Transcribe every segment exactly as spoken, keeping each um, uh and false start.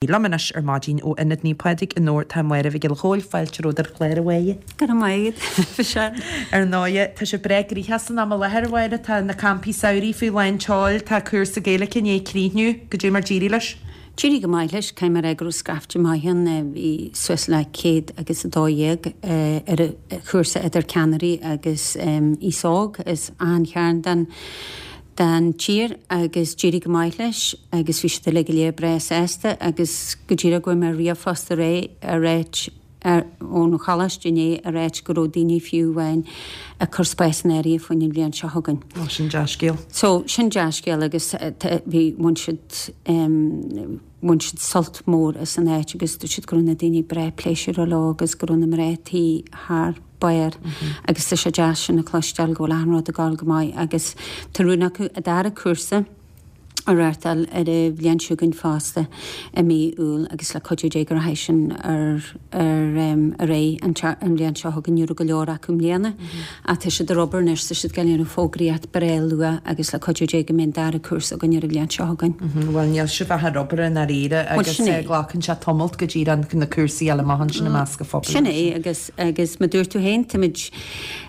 Liom anois ar maidin ó Ionad Naomh Pádraig i nDobhar tá Máire Mhic Giolla Chóill, fáilte romhat ar an chlár, a Mháire. Go raibh maith agat. Ar ndóighe, tá sé breá gnoitheach san am i láthair, a Mháire, tá na campaí samhraidh faoi lán tseoil, tá cúrsa Gaeilge i ndiaidh críochnú, goidé mar d'éirigh leis? D'éirigh go maith leis, caithfidh mé a rá go raibh scaifte maith ann, bhí suas le céad agus a dó dhéag ar an chúrsa idir ceannairí agus aos óg as achan chearn den den tír agus d'éirigh go maith leis agus bhí siad uilig go léir breá sásta agus go díreach go bhfuair mé ríomhphost aréir ag ráit ón choláiste inné ag ráit go raibh daoine fiú amháin ag cur spás in áirithe faoin an bhliain seo chugainn. Ó, sin dea-scéal. So, sin dea-scéal agus bhí, bhain siad, bhain siad sult mór as an áit agus dúirt siad go raibh na daoine breá pléisiúrtha leo agus go raibh na mná tí thar barr agus tá sé deas sin a chloisteáil go bhfuil achan rud ag dul go maith agus tá rún acu an dara cúrsa a reáchtáil ar an bhliain seo chugainn fosta i mí Iúil agus le cuidiú Dé go rachaidh sin ar ar ar aghaidh an an bhliain seo chugainn. Ní raibh go leor acu i mbliana ach tá siad ar obair anois, tá siad ag déanamh fógraíocht breá luath agus le cuidiú Dé go mbeidh an dara cúrsa againn ar an bhliain seo chugainn. Bhuel níl sibh ach ar obair i ndáiríre agus glacann sé tamalt go díreach na cúrsaí a fháil amach ansin i measc an phobail. Sin é agus agus mar dúirt tú féin táimid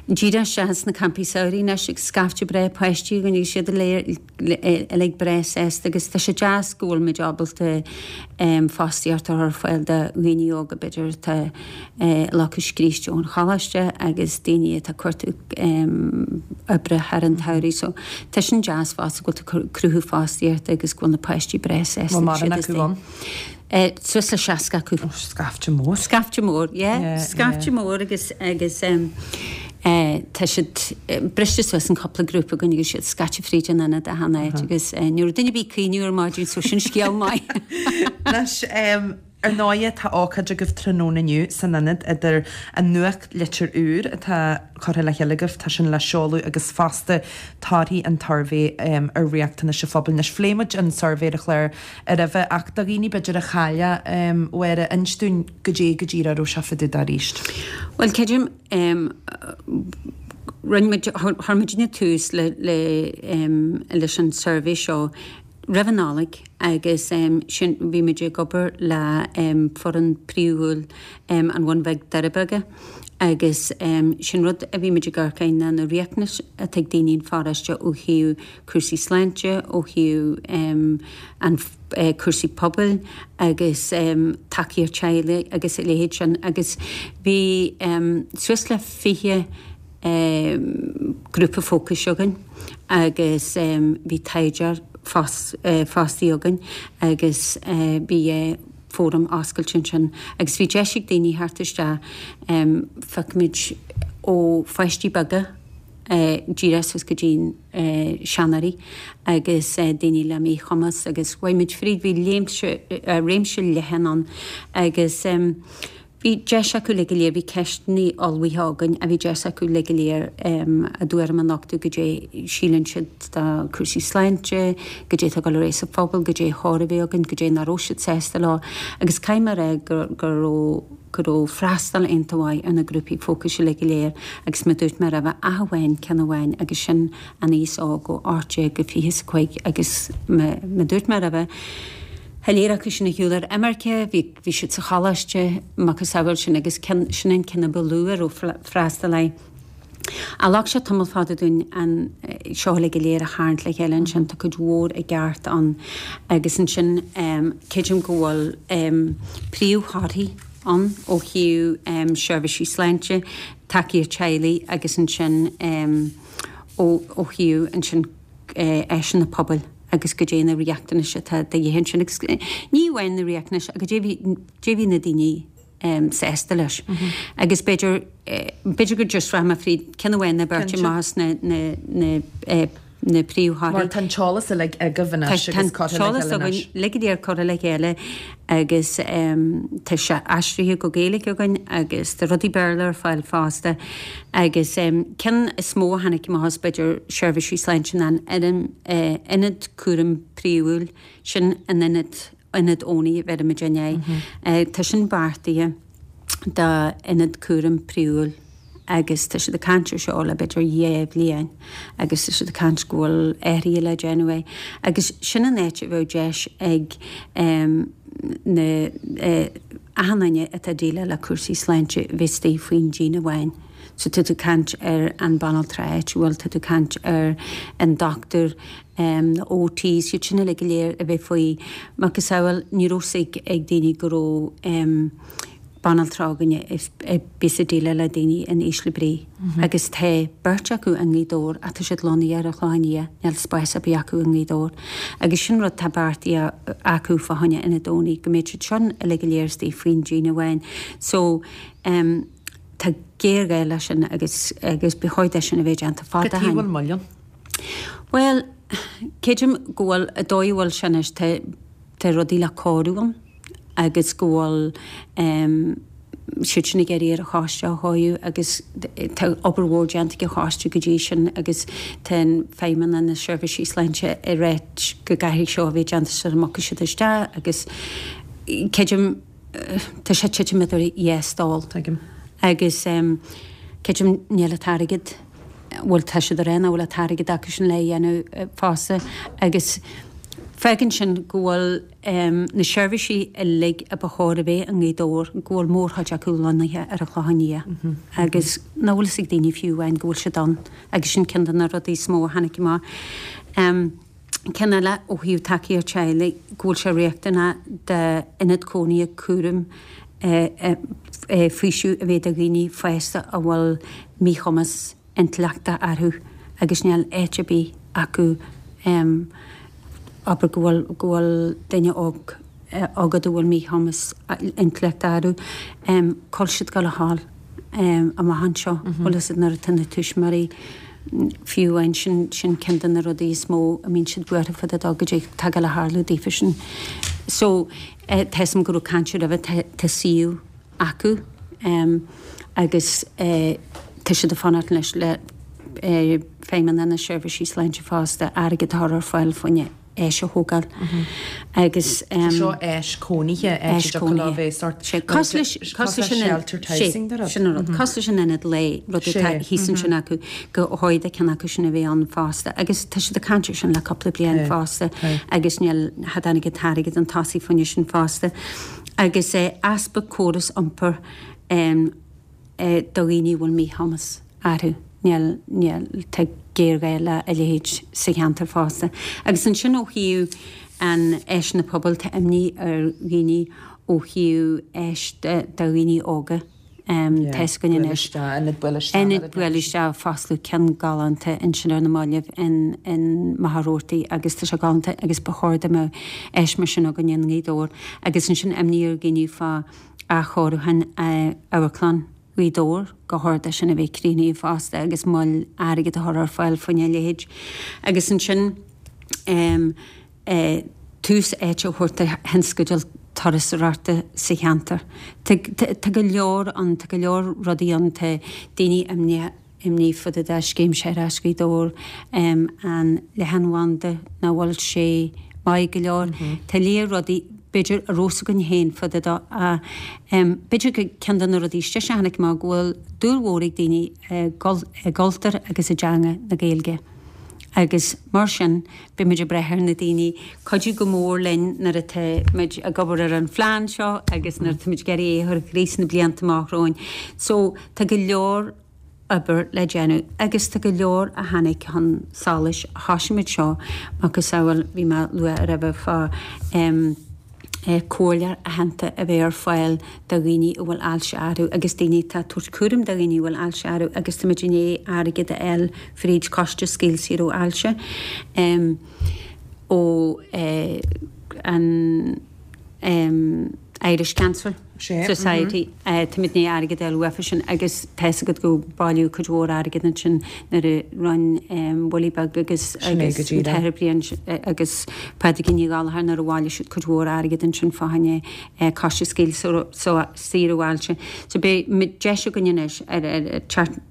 díreach isteach sna campaí samhraidh anois agus scaifte breá páistí againn agus iad uilig breá sásta agus tá sé deas go bhfuil muid ábalta fostaíocht a chur ar fáil do dhaoine óga b'fhéidir atá lucht scríste ón choláiste agus daoine atá ag cuartú oibre thar an tsamhraidh so tá sin deas fosta go bhfuil tú ag cruthú fostaíochta agus go bhfuil na páistí breá sásta. Bhfuil mórán acu ann? Suas le seasca acu. Ó, scaifte mór. Scaifte mór, yeah. Scaifte mór agus agus tá siad briste suas in cúpla grúpa againn agus siad scaite fríd an ionad achan áit agus ní raibh duine ar bith ag caoineadh ar maidin so sin scéal maith. Anois, ar ndóighe tá ócáid agaibh tráthnóna inniu san ionad idir an nuachtlitir úr atá curtha le chéile agaibh, tá sin le seoladh agus fosta torthaí an tsuirbhé ar riachtanais an phobail. Anois phléigh muid an suirbhé ar an chlár roimhe ach do dhaoine b'fhéidir a chaill é, a Mháire, inis dúinn goidé go díreach a raibh sé fá dtaobh de arís. Bhuel, creidim, rinne muid, chuir muidne tús le, le, leis an suirbhé seo roimh an Nollaig agus sin, bhí muid ag obair le foireann príomhúil an Bhun Bhig Doire Beaga agus sin rud a bhí muid ag amharc air ná na riachtanais atá ag daoine an pharóiste ó thaobh cúrsaí sláinte, ó thaobh an cúrsaí pobail agus tacaíocht teaghlaigh agus a leithéid sin agus bhí suas le fiche grúpa fócais againn agus bhí taighdeoir fostaithe againn agus bhí fóram oscailte ansin agus bhí deis ag daoine theacht isteach, phioc muid ó pháistí beaga díreach suas go dtí seanóirí agus daoine le míchumas agus chuaigh muid fríd, bhí léimse, réimse leathan ann agus bhí deis acu uilig go léir, bhí ceisteanna ullmhaithe againn a bhí deis acu uilig go léir a dtuairim a nochtadh goidé síleann siad de cúrsaí sláinte, goidé atá ag dul ar aghaidh sa phobal, goidé chóir a bheith againn, goidé nach raibh siad sásta leo agus caithfidh mé a rá go go raibh go raibh freastal iontach mhaith ar na grúpaí fócais uilig go léir agus mar dúirt mé roimhe ach amháin ceann amháin agus sin an aos óg ó ocht déag go fiche is a cúig agus mar dúirt mé roimhe tá lear acu sin ar shiúl ar imirce, bhí bhí siad sa choláiste macasamhail sin agus ceann sin an ceann a ba lú a raibh freastal air. Ach ghlac sé tamall fada dúinn an seo uilig go léir a tharraingt le chéile ansin, tá cuid mhór i gceart ann agus ansin creidim go bhfuil príomhthorthaí ann ó thaobh seirbhísí sláinte, tacaíocht teaghlaigh agus ansin ó thaobh ansin áiseanna pobail agus goidé na riachtanais atá de dhíth ansin agus ní amháin na riachtanais ach goidé a bhí na daoine sásta leis. Agus b'fhéidir, b'fhéidir go just rachaidh mé fríd ceann amháin nó beirt amach as na, na, na, na príomhthorthaí. Mar tá an t-eolas uilig agaibh anois agus curtha le chéile anois. Tá an t-eolas againn uilig go léir curtha le chéile agus tá sé aistrithe go Gaeilge againn agus tá rudaí Béarla ar fáil fosta. Agus ceann is mó a tháinig amach as b'fhéidir seirbhísí sláinte ná an ionad cúraim príomhúil, sin an ionad Ionad Owenie a bheirimid air. Tá sin beartaithe d'ionad cúraim príomhúil Agus tá siad ag caint ar seo le b'fhéidir dhá bhliain agus tá siad ag caint go bhfuil athruithe le déanamh air. Agus sin an áit a bheadh deis ag na achan duine atá ag déileáil le cúrsaí sláinte bheith istigh faoin díon amháin. So tá tú ag caint ar an banaltra áitiúil, tá tú ag caint ar an dochtúir, na OTs, iad sin uilig go léir a bheith faoi macasamhail ní raibh fhios ag daoine go raibh banaltra againne a bhíos ag déileáil le daoine in ísle brí. Agus tá beirt acu i nGaoth Dobhair ach tá siad lonnaithe ar an Chlochán Liath, níl spás ar bith acu i nGaoth Dobhair. Agus sin rud tá beartaithe acu fá choinne Ionad Owenie, go mbeidh siad sin uilig go léir istigh faoin díon amháin. So um, tá géarghá leis sin agus agus ba chóir dó sin a bheith déanta fada Cad chuige a bhfuil moill ann? Bhuel, creidim go bhfuil an dóigh a bhfuil sin anois tá tá rudaí le cóiriú ann agus go bhfuil um, siad sin ag iarraidh ar an choiste a chóiriú agus tá obair mhór déanta ag an choiste go dtí sin agus tá an feidhmeanna na seirbhísí sláinte ag ráit go gcaithfidh seo a bheith déanta sula mbogfaidh siad isteach agus creidim tá sé titim idir dhá stól. Tuigim. Agus um, creidim níl an t-airgead bhfuil tá siad ar aon bhfuil an t-airgead acu sin le dhéanamh fosta agus fágann sin go bhfuil um, na seirbhísí uilig a ba chóir a bheith i nGaoth Dobhair go bhfuil mórchuid acu lonnaithe ar an Chlochán Liath mm -hmm. agus nach bhfuil fhios ag daoine fiú amháin go bhfuil siad ann agus sin ceann de na rudaí is mó a tháinig amach. Um, Ceann eile ó thaobh tacaíocht teaghlaigh go bhfuil sé riachtanach d'ionad cónaithe cúraim faoiseamh a bheith do dhaoine fásta a bhfuil míchumas intleachta orthu agus níl áit ar bith acu abair go bhfuil go bhfuil duine óg agat a bhfuil míchumas intleachta orthu cá bhfuil siad ag dul a ghabháil amach anseo bhfuil fhios agat nuair atá na tuismitheoirí fiú amháin sin sin ceann de na rudaí is mó a mbíonn siad buartha fá dtaobh de goidé atá ag dul a tharlú daofa sin. So tá fhios a'm go raibh caint roimhe tá tá suíomh acu agus tá siad ag fanacht anois le Feidhmeanna na Seirbhísí Sláinte fosta airgead a chur ar fáil fá choinne áis a thógáil agus. Seo áis cónaithe, áit a dtiocfadh leo bheith sort Cosúil leis cosúil leis an sheltered housing de rud. Sin an rud. Cosúil leis an ionad lae, rud atá thíos ansin acu, go chóir do ceann acu sin a bheith ann fosta agus tá siad ag caint air sin le cúpla bliain fosta agus níl cha dtáinig an t-airgead chun tosaigh fá choinne sin fosta. Agus easpa córas iompair do dhaoine a bhfuil míchumas orthu. Níl, níl, tá géarghá le a leithéid sa cheantar fosta. Agus ansin ó thaobh an áiseanna pobail, tá imní ar dhaoine ó thaobh áis do dhaoine óga. Tá fhios againn anois. Ionad buail isteach. Ionad buail isteach, foscladh ceann galánta ansin ar na mallaibh in, in Machaire Rabhartaigh agus tá sé galánta agus ba chóir dá mbeadh áis mar sin againn i nGaoth Dobhair. Agus ansin imní ar dhaoine fá athchóiriúchán Amharclann Ghaoth Dobhair, gur chóir dó sin a bheith críochnaithe fosta agus moill airgead a chur ar fáil fá choinne a leithéid. Agus ansin tús áite a thabhairt do thionscadail turasóireachta sa cheantar. Tá go leor ann, tá go leor rudaí ann, tá daoine imníoch. imní fá dtaobh de scéim Séarachais Ghaoth Dobhair, an leathanbhanda, nach bhfuil sé maith go leor. Tá lear rudaí, b'fhéidir, a raibh fhios againn féin fá dtaobh de ach b'fhéidir gur ceann de na rudaí is deise a tháinig amach go bhfuil dúil mhór ag daoine i gcultúr agus i dteanga na Gaeilge agus mar sin beidh muid ag brath ar na daoine cuidiú go mór linn nuair atá muid ag obair ar an phlean seo agus nuair atá muid ag iarraidh é a chur i gcrích sna blianta amach romhainn. So tá go leor obair le déanamh agus tá go leor a tháinig chun solais. Thosaigh muid seo macasamhail, bhí mé ag lua roimhe fá comhairleoir aitheanta a bheith ar fáil do dhaoine a bhfuil ailse orthu agus daoine atá ag tabhairt cúram do dhaoine a bhfuil ailse orthu agus tá muid i ndiaidh airgead a fháil fríd Choiste Scaoll Saor ó Ailse ó an Irish Cancer Society. Táimid i ndiaidh airgead a fháil uafa sin agus tá fhios agat go bailíodh cuid mhór airgid ansin nuair a rinne Willie Beag agus agus an tAthair Brian agus Pádraigín Ní Ghallchóir nuair a bhailigh siad cuid mhór airgid ansin fá choinne Coiste Scaoll Saor ó Ailse. So beidh deis againn anois ar ar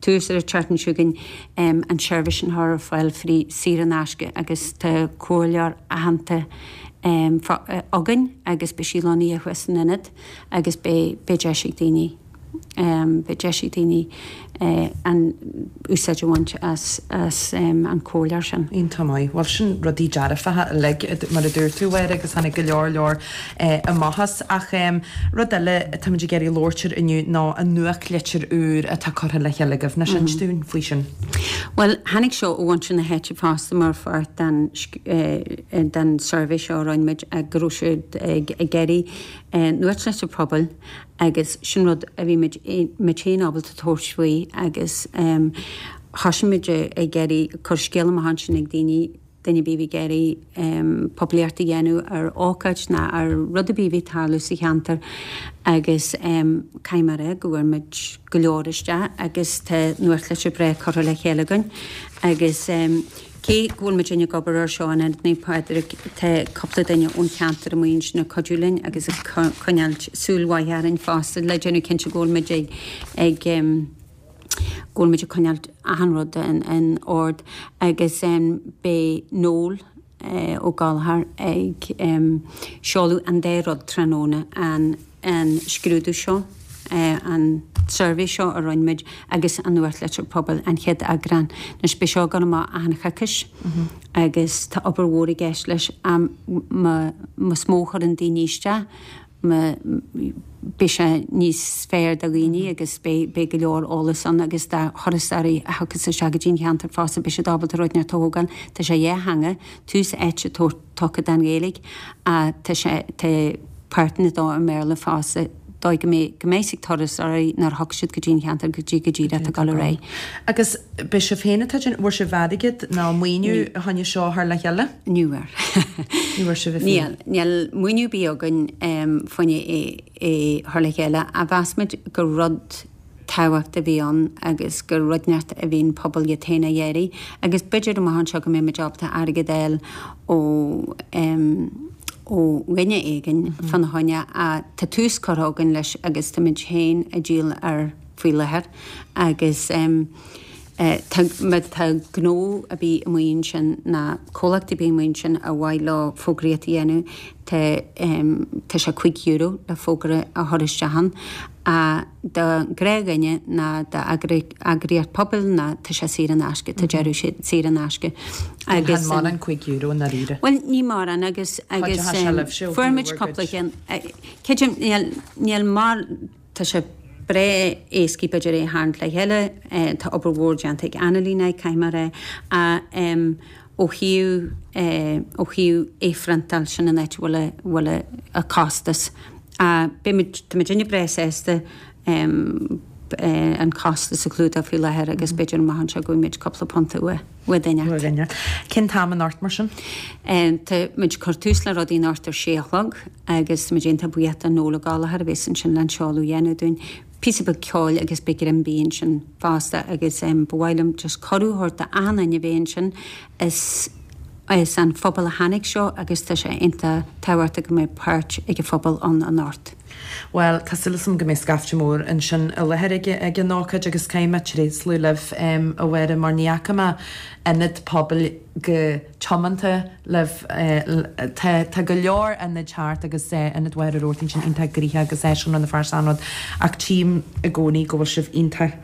tús ar an tseachtain seo chugainn an tseirbhís sin a chur ar fáil free saor in aisce agus tá comhairleoir aitheanta againn agus beidh sí lonnaithe thuas san ionad agus beidh beidh deis ag daoine Beidh deis ag daoine an úsáid a bhaint as as an comhairleoir sin. Iontach maith. Bhuel sin rudaí dearfacha uilig mar a dúirt tú a Mháire agus tháinig go leor leor amach as. Ach rud eile atáimid ag iarraidh labhairt air inniu ná an nuachtlitir úr atá curtha le chéile agaibh. Inis dúinn faoi sin. Bhuel tháinig seo ó mhuintir na háite fosta mar pháirt den den suirbhé seo a rinne muid go raibh siad ag iarraidh nuachtlitir pobail agus sin rud a bhí muid muid féin ábalta tabhairt faoi agus thosaigh muid ag iarraidh cur scéal amach ansin ag daoine, duine ar bith a bhí ag iarraidh poiblíocht a dhéanamh ar ócáid ná ar rud ar bith a bhí ag tarlú sa cheantar agus caithfidh mé a rá go bhfuair muid go leor isteach agus tá nuachtlitir breá curtha le chéile againn agus Cé go bhfuil muidinne ag obair air seo in Ionad Naomh Pádraig, tá cúpla duine ón cheantar amuigh ansin ag cuidiú linn agus ag coinneáil súil mhaith orainn fosta le déanamh cinnte go bhfuil muid ag ag go bhfuil muid ag coinneáil achan rud in ord agus beidh Noel Ó Gallchóir ag seoladh an dá rud tráthnóna, an an scrúdú seo, an suirbhé seo a rinne muid agus an nuachtlitir pobail, an chéad eagrán. Anois beidh seo ag dul amach achan choicís agus tá obair mhór i gceist leis. Más mó a chuireann daoine isteach, beidh sé níos fearr do dhaoine agus beidh go leor eolas ann agus do thurasóirí a thiocfas isteach go dtí an cheantar fosta beidh siad ábalta rud inteacht a thógáil. Tá sé dhá theanga, tús áite tugtha don Ghaeilge ach tá sé, tá páirteanna dó i mBéarla fosta, dóigh go mbeidh go mbeidh ag turasóirí nuair a thiocfaidh siad go dtí an cheantar cad é go díreach atá ag dul ar aghaidh. Agus b'é sibh féin atá déanamh, bhfuair sibh airgead nó maoiniú fá choinne seo a chur le chéile? Ní bhfuair. Ní bhfuair sibh féin? Níl, níl maoiniú ar bith againn fá choinne é a chur le chéile ach mheas muid gur rud tábhacht a bhí ann agus gur rud inteacht a bhí an pobal iad féin a iarraidh agus b'fhéidir amach anseo go mbeidh muid ábalta airgead a fháil ó ó dhuine éigin fána choinne ach tá tús curtha againn leis agus tá muid féin ag díol air faoi láthair agus tá má tá gnó ar bith amuigh ansin ná comhlacht ar bith amuigh ansin ar mhaith leo fógraíocht a dhéanamh tá tá sé cúig euro le fógra a chur isteach ann ach do ghnáthdhuine ná d'eagraíocht pobail ná tá sé saor in aisce, tá deireadh sé saor in aisce agus. Chan mórán cúig euro i ndáiríre. Bhuel ní mórán agus agus fuair muid cúpla ceann creidim níl níl mar tá sé breá éascaí b'fhéidir é a tharraingt le chéile, tá obair mhór déanta ag Annalín air caithfidh mé a rá ach ó thaobh ó thaobh é a phriontáil sin an áit a bhfuil a bhfuil a costas. Ach beidh muid tá muidinne breá sásta an costas a chlúdach faoi láthair agus b'fhéidir amach anseo go bhfaighidh muid cúpla punt uaidh uaidh duine inteacht. Cén t-am anocht mar sin? Tá muid ag cur tús le rudaí anocht ar sé a chlog agus tá muid iontach buíoch do Noel Ó Gallchóir a bheas ansin le an seoladh a dhéanamh dúinn. Píosa beag ceoil agus beidh greim bídh ansin fosta agus ba mhaith liom just cuireadh a thabhairt d'achan duine a bheith ansin. Is as an phobal a tháinig seo agus tá sé iontach tábhachtach go mbeidh páirt ag an phobal ann anocht. Bhuel, tá súil agam go mbeidh scaifte mór ansin i láthair ag ag an ócáid agus caithfidh mé tréaslú libh, a Mháire, mar ní fhaca mé ionad pobail chomh tiomanta libh. Tá tá go leor ionaid thart agus Ionad Mhachaire Rabhartaigh ansin iontach gnoitheach agus áisiúil na fear san rud ach tchím i gcónaí go bhfuil sibh iontach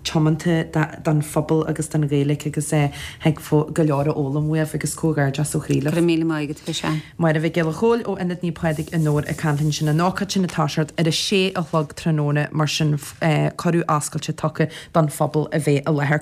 tiomanta don phobal agus don Ghaeilge agus thig go leor a fhoghlaim uaibh agus comhghairdeas ó chroí libh. Go raibh míle maith agat, a Mhichelle. Máire Mhic Giolla Chóill ó Ionad Naomh Pádraig i nDobhar ag caint linn ansin. An ócáid sin ag toiseacht ar a sé a chlog tráthnóna mar sin cuireadh oscailte tugtha don phobal a bheith i láthair.